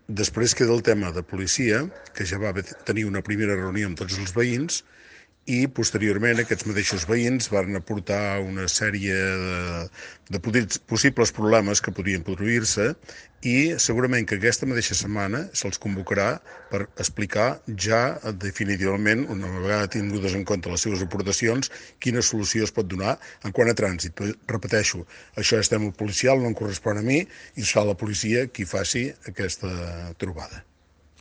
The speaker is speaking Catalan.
Després queda el tema de policia, que ja va tenir una primera reunió amb tots els veïns i posteriorment aquests mateixos veïns van aportar una sèrie de possibles problemes que podien produir-se i segurament que aquesta mateixa setmana se'ls convocarà per explicar ja definitivament, una vegada tingudes en compte les seves aportacions, quina solució es pot donar en quant a trànsit. Però, repeteixo, això és tema policial, no em correspon a mi i serà la policia qui faci aquesta trobada.